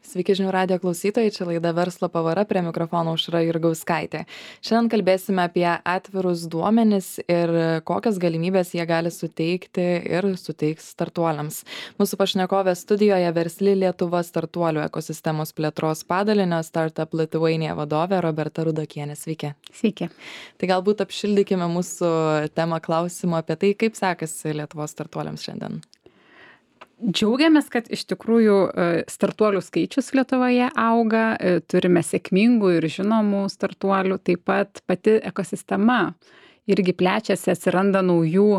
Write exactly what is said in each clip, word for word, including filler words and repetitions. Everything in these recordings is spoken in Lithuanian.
Sveiki žinių radijo klausytojai, čia laida Verslo pavara, prie mikrofono Aušra Jurgauskaitė. Šiandien kalbėsime apie atvirus duomenis ir kokias galimybės jie gali suteikti ir suteiks startuoliams. Mūsų pašnekovė studijoje Versli Lietuva startuolių ekosistemos plėtros padalinio Startup Lithuania vadovė Roberta Rudokienė. Sveiki. Sveiki. Tai galbūt apšildykime mūsų temą klausimą apie tai, kaip sekasi Lietuvos startuoliams šiandien. Džiaugiamės, kad iš tikrųjų startuolių skaičius Lietuvoje auga, turime sėkmingų ir žinomų startuolių, taip pat pati ekosistema irgi plečiasi, atsiranda naujų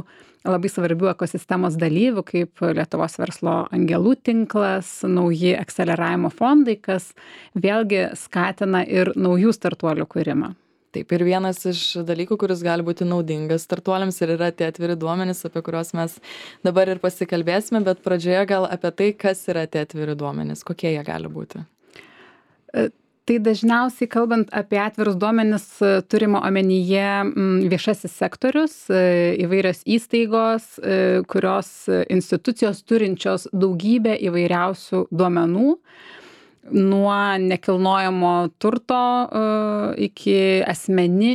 labai svarbių ekosistemos dalyvių, kaip Lietuvos verslo angelų tinklas, nauji akceleravimo fondai, kas vėlgi skatina ir naujų startuolių kūrimą. Taip, ir vienas iš dalykų, kuris gali būti naudingas startuoliams ir yra tie atviri duomenys, apie kuriuos mes dabar ir pasikalbėsime, bet pradžioje gal apie tai, kas yra tie atviri duomenys, kokie jie gali būti. Tai dažniausiai kalbant apie atvirus duomenis turima omenyje viešasis sektorius, įvairios įstaigos, kurios institucijos turinčios daugybę įvairiausių duomenų, nuo nekilnojamo turto iki asmeni,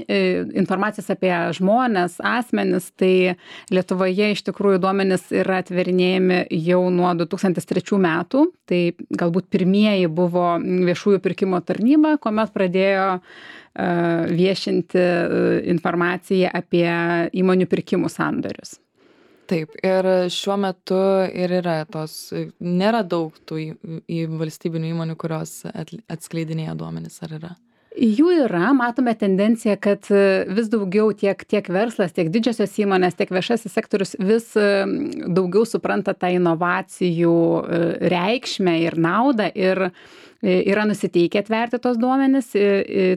informacijos apie žmones, asmenis, tai Lietuvoje iš tikrųjų duomenys yra atverinėjami jau nuo du tūkstantis trečių metų, tai galbūt pirmieji buvo viešųjų pirkimo tarnyba, kuomet pradėjo viešinti informaciją apie įmonių pirkimų sandorius. Taip, ir šiuo metu ir yra tos, nėra daug tų į, į valstybinių įmonių, kurios atskleidinėja duomenis, ar yra? Jų yra, matome tendenciją, kad vis daugiau tiek, tiek verslas, tiek didžiosios įmonės, tiek viešasis sektorius vis daugiau supranta tą inovacijų reikšmę ir naudą ir yra nusiteikę atverti tos duomenis,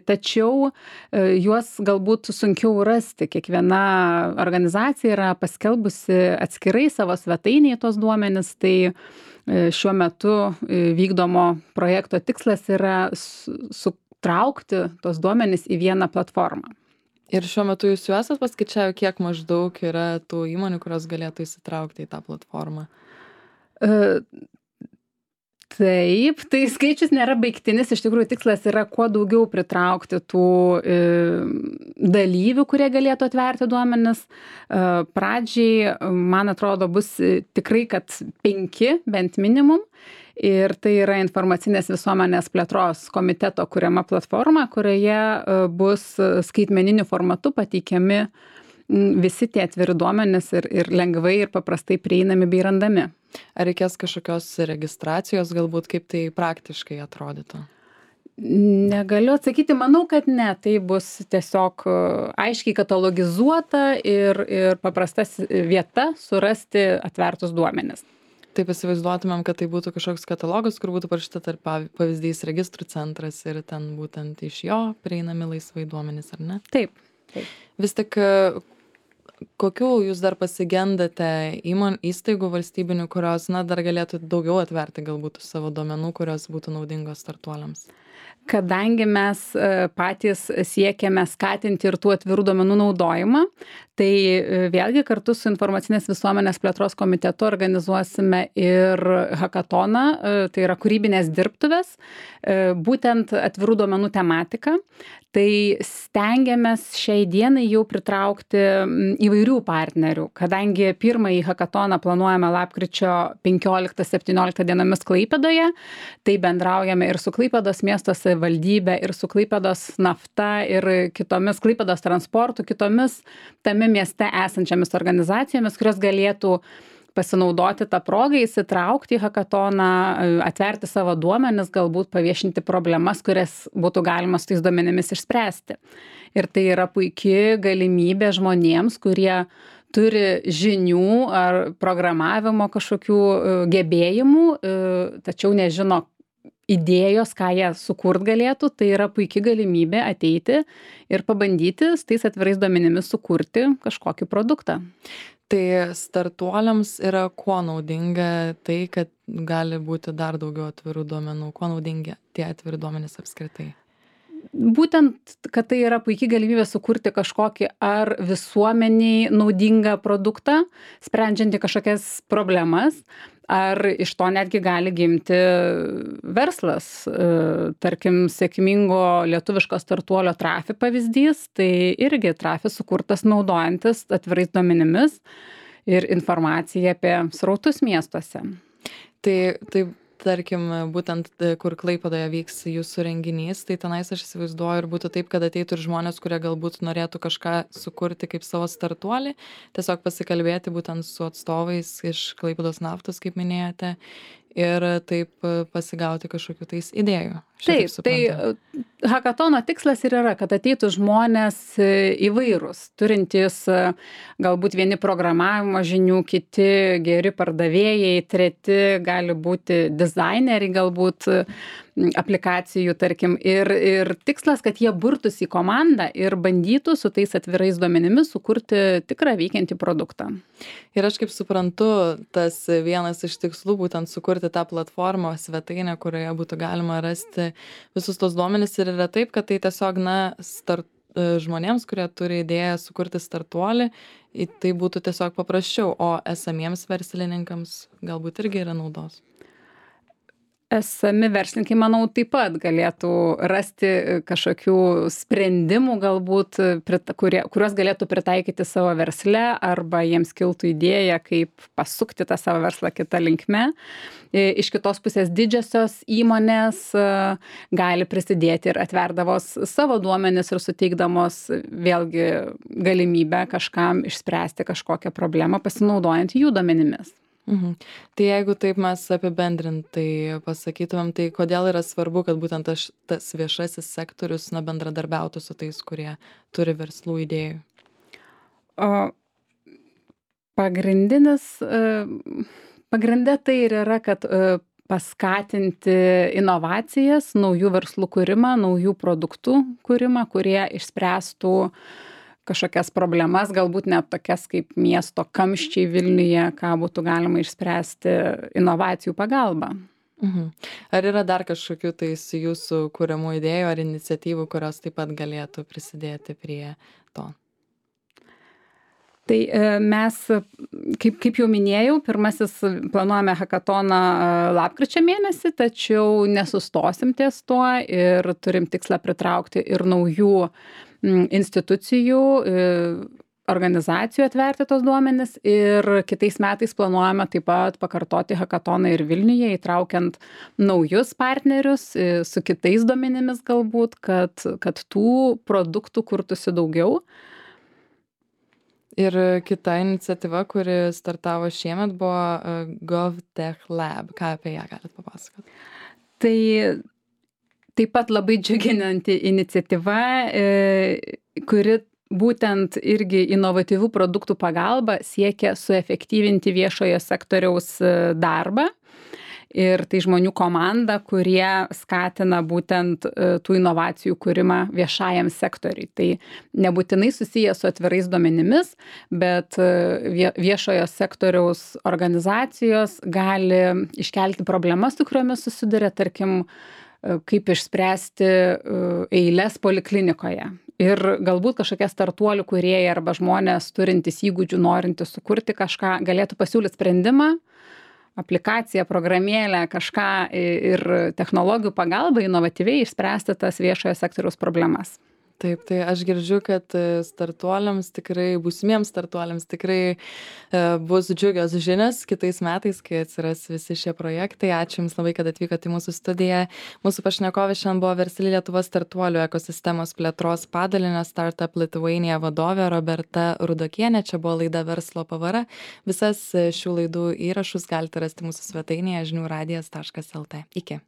tačiau juos galbūt sunkiau rasti. Kiekviena organizacija yra paskelbusi atskirai savo svetainėje tos duomenis, tai šiuo metu vykdomo projekto tikslas yra sutraukti tos duomenis į vieną platformą. Ir šiuo metu jūs jau esat paskaičiavę, kiek maždaug yra tų įmonių, kurios galėtų įsitraukti į tą platformą? Uh, Taip, tai skaičius nėra baigtinis, iš tikrųjų tikslas yra kuo daugiau pritraukti tų e, dalyvių, kurie galėtų atverti duomenis. E, pradžiai, man atrodo, bus tikrai, kad penki bent minimum. Ir tai yra informacinės visuomenės plėtros komiteto kuriama platforma, kurioje bus skaitmeniniu formatu pateikiami visi tie atviri duomenys ir, ir lengvai ir paprastai prieinami bei randami. Ar reikės kažkokios registracijos, galbūt kaip tai praktiškai atrodytų? Negaliu atsakyti, manau, kad ne. Tai bus tiesiog aiškiai katalogizuota ir, ir paprastas vieta surasti atvertus duomenis. Taip įsivaizduotumėm, kad tai būtų kažkoks katalogas, kur būtų parašyta tarp pavyzdys registrų centras ir ten būtent iš jo prieinami laisvai duomenys, ar ne? Taip. Taip. Vis tik kokių jūs dar pasigendate įmon įstaigų valstybinių, kurios na, dar galėtų daugiau atverti galbūt savo duomenų, kurios būtų naudingos startuoliams? Kadangi mes patys siekiame skatinti ir tų atvirų duomenų naudojimą, tai vėlgi kartu su informacinės visuomenės plėtros komitetu organizuosime ir hakatoną, tai yra kūrybinės dirbtuvės, būtent atvirų duomenų tematika. Tai stengiamės šiai dienai jau pritraukti įvairių partnerių, kadangi pirmąjį hakatoną planuojame lapkričio penkioliktą septynioliktą dienomis Klaipėdoje, tai bendraujame ir su Klaipėdos miesto savivaldybė, ir su Klaipėdos nafta, ir kitomis Klaipėdos transportu, kitomis tame mieste esančiamis organizacijomis, kurios galėtų pasinaudoti tą progą, įsitraukti į hakatoną, atverti savo duomenis, galbūt paviešinti problemas, kurias būtų galima su tais duomenimis išspręsti. Ir tai yra puikia galimybė žmonėms, kurie turi žinių ar programavimo kažkokių gebėjimų, tačiau nežino idėjos, ką jie sukurt galėtų, tai yra puikia galimybė ateiti ir pabandyti su tais atvirais duomenimis sukurti kažkokį produktą. Tai startuoliams yra kuo naudinga tai, kad gali būti dar daugiau atvirų duomenų, kuo naudingi tie atviri duomenys apskritai? Būtent, kad tai yra puikia galimybė sukurti kažkokį ar visuomeniai naudingą produktą, sprendžiantį kažkokias problemas, ar iš to netgi gali gimti verslas. Tarkim, sėkmingo lietuviško startuolio Trafi pavyzdys, tai irgi Trafi sukurtas naudojantis atvirais duomenimis ir informacija apie srautus miestuose. Tai, tai tarkim, būtent kur Klaipėdoje vyks jūsų renginys, tai tenais aš įsivaizduoju ir būtų taip, kad ateitų ir žmonės, kurie galbūt norėtų kažką sukurti kaip savo startuolį, tiesiog pasikalbėti būtent su atstovais iš Klaipėdos naftos, kaip minėjote, ir taip pasigauti kažkokių tais idėjų. Taip, tai hakatono tikslas ir yra, kad ateitų žmonės įvairūs, turintys galbūt vieni programavimo žinių, kiti geri pardavėjai, treti gali būti dizaineriai galbūt aplikacijų, tarkim. Ir, ir tikslas, kad jie burtųsi į komandą ir bandytų su tais atvirais duomenimis sukurti tikrą veikiantį produktą. Ir aš kaip suprantu, tas vienas iš tikslų būtent sukurti tą platformą, svetainę, kurioje būtų galima rasti visus tos duomenis, ir yra taip, kad tai tiesiog, na, start, žmonėms, kurie turi idėją sukurti startuolį, tai būtų tiesiog paprasčiau, o esamiems verslininkams galbūt irgi yra naudos. Esami verslininkai, manau, taip pat galėtų rasti kažkokių sprendimų galbūt, kurie, kuriuos galėtų pritaikyti savo versle, arba jiems kiltų idėja, kaip pasukti tą savo verslą kitą linkme. Iš kitos pusės didžiosios įmonės gali prisidėti ir atverdavos savo duomenis ir suteikdamos vėlgi galimybę kažkam išspręsti kažkokią problemą pasinaudojant jų duomenimis. Mhm. Tai jeigu taip mes apibendrintai pasakytumėm, tai kodėl yra svarbu, kad būtent aš, tas viešasis sektorius, na, bendradarbiautų su tais, kurie turi verslų idėjų? O pagrindinis, pagrindė tai ir yra, kad paskatinti inovacijas, naujų verslų kūrimą, naujų produktų kūrimą, kurie išspręstų kažkokias problemas, galbūt net tokias kaip miesto kamščiai Vilniuje, ką būtų galima išspręsti inovacijų pagalba. Mhm. Ar yra dar kažkokių tais jūsų kuriamų idėjų ar iniciatyvų, kurios taip pat galėtų prisidėti prie to? Tai mes, kaip, kaip jau minėjau, pirmasis planuojame hakatoną lapkričio mėnesį, tačiau nesustosim ties tuo ir turim tikslą pritraukti ir naujų institucijų, organizacijų atverti tos duomenis, ir kitais metais planuojame taip pat pakartoti hakatoną ir Vilniuje, įtraukiant naujus partnerius su kitais duomenimis galbūt, kad, kad tų produktų kurtųsi daugiau. Ir kita iniciatyva, kuri startavo šiemet, buvo GovTech Lab. Ką apie ją galit papasakoti? Tai taip pat labai džiuginanti iniciatyva, kuri būtent irgi inovatyvių produktų pagalba siekia suefektyvinti viešojo sektoriaus darbą. Ir tai žmonių komanda, kurie skatina būtent tų inovacijų kūrimą viešajam sektoriui. Tai nebūtinai susiję su atvirais duomenimis, bet viešojo sektoriaus organizacijos gali iškelti problemas, su kuriomis susiduria, tarkim, kaip išspręsti eiles poliklinikoje. Ir galbūt kažkokie startuolių kūrėjai arba žmonės turintys įgūdžių, norintys sukurti kažką, galėtų pasiūlyti sprendimą, aplikaciją, programėlę, kažką ir technologijų pagalba inovatyviai išspręsti tas viešojo sektoriaus problemas. Taip, tai aš girdžiu, kad startuoliams tikrai, būsimiems startuoliams tikrai bus džiugios žinios kitais metais, kai atsiras visi šie projektai. Ačiū Jums labai, kad atvykote į mūsų studiją. Mūsų pašnekovė šiandien buvo versli Lietuvos startuolių ekosistemos plėtros padalinio Startup Lithuania vadovė Roberta Rudokienė. Čia buvo laida Verslo pavara. Visas šių laidų įrašus galite rasti mūsų svetainėje žinių radijas taškas lt. Iki.